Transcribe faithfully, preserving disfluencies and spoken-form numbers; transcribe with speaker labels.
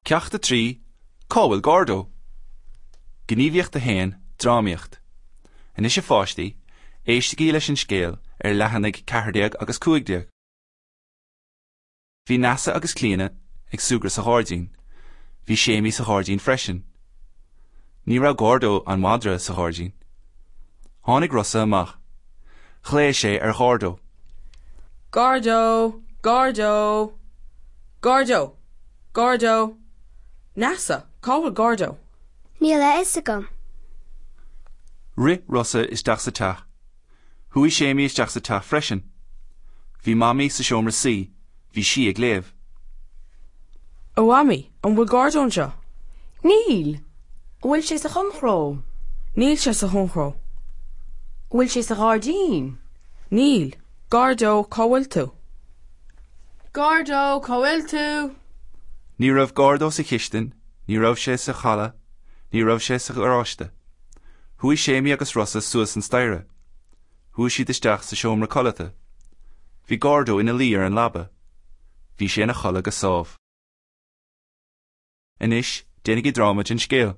Speaker 1: Ceacht a trí, Cá bhfuil Gordo? Gníomhaíocht a haon, Drámaíocht. Anois a pháistí, éistigí leis an scéal ar leathanaigh ceathair déag agus cúig déag. Bhí Neasa agus Clíona ag súgradh sa ghairdín. Bhí Séimí sa ghairdín freisin. Ní raibh Gordo an madra sa ghairdín. Tháinig Rossa amach. Ghlaoigh sé ar Ghordo.
Speaker 2: Gordo, Gordo, Gordo, Gordo. Neasa, cá bhfuil Gordo?
Speaker 3: Níl a fhios agam.
Speaker 1: Rith Rossa isteach sa teach. Chuaigh Séimí isteach sa teach freisin. Bhí Mamaí sa seomra suí, bhí sí ag léamh.
Speaker 2: A Mhamaí, an bhfuil Gordo anseo?
Speaker 4: Níl. An bhfuil sé sa chonnchró?
Speaker 2: Níl sé sa chonnchró.
Speaker 4: An bhfuil sé sa ghairdín?
Speaker 2: Níl. Gordo, cá bhfuil tú?
Speaker 5: Gordo, cá bhfuil tú?
Speaker 1: Ní raibh Gordo sa chistin, ní raibh sé sa halla, ní raibh sé sa gharáiste. Chuaigh Séimí agus Rossa suas an staighre. Chuaigh siad isteach sa seomra codlata. Bhí Gordo ina luí ar an leaba. Bhí sé ina chodladh go sámh. Anois, déanaigí dráma den scéal.